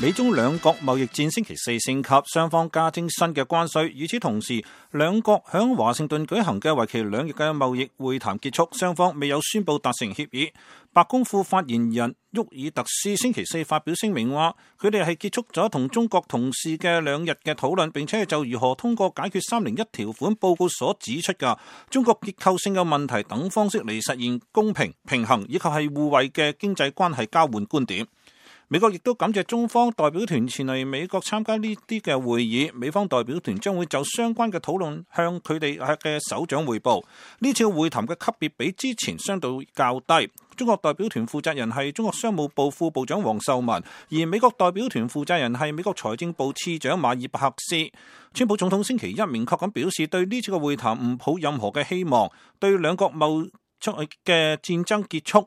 美中兩國貿易戰星期四升級，雙方加徵新嘅關稅。與此同時，兩國響華盛頓舉行嘅為期2日嘅貿易會談結束，雙方未有宣布達成協議。白宮副發言人沃爾特斯星期四發表聲明話，佢哋係結束咗同中國同事嘅2日嘅討論，並且係就如何通過解決301條款報告所指出嘅中國結構性嘅問題等方式嚟實現公平、平衡以及係互惠嘅經濟關係交換觀點。美國亦都感謝中方代表團前嚟美國參加呢啲嘅會議，美方代表團將會就相關嘅討論向佢哋嘅首長匯報。呢次會談嘅級別比之前相對較低。中國代表團負責人係中國商務部副部長王受文，而美國代表團負責人係美國財政部次長馬爾伯克斯。川普總統星期一明確咁表示，對呢次嘅會談唔抱任何嘅希望，對兩國貿易嘅戰爭結束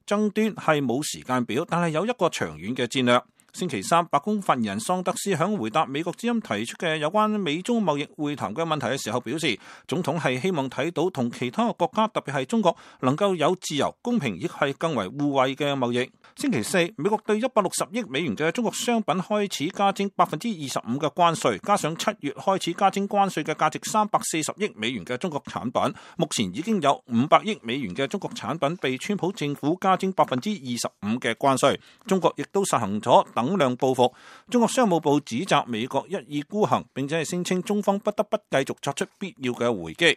爭端係冇時間表，但係有一個長遠嘅戰略。星期三，白宮發言人桑德斯響回答美國之音提出嘅有關美中貿易會談嘅問題嘅時候表示，總統係希望睇到同其他國家，特別係中國，能夠有自由、公平亦係更為互惠嘅貿易。星期四，美國對160億美元嘅中國商品開始加徵25%嘅關稅，加上7月開始加徵關稅嘅價值340億美元嘅中國產品，目前已經有500億美元嘅中國產品被川普政府加徵25%嘅關稅。中國亦都實行咗等量報復。中國商務部指責美國一意孤行，並且係聲稱中方不得不繼續作出必要嘅回擊。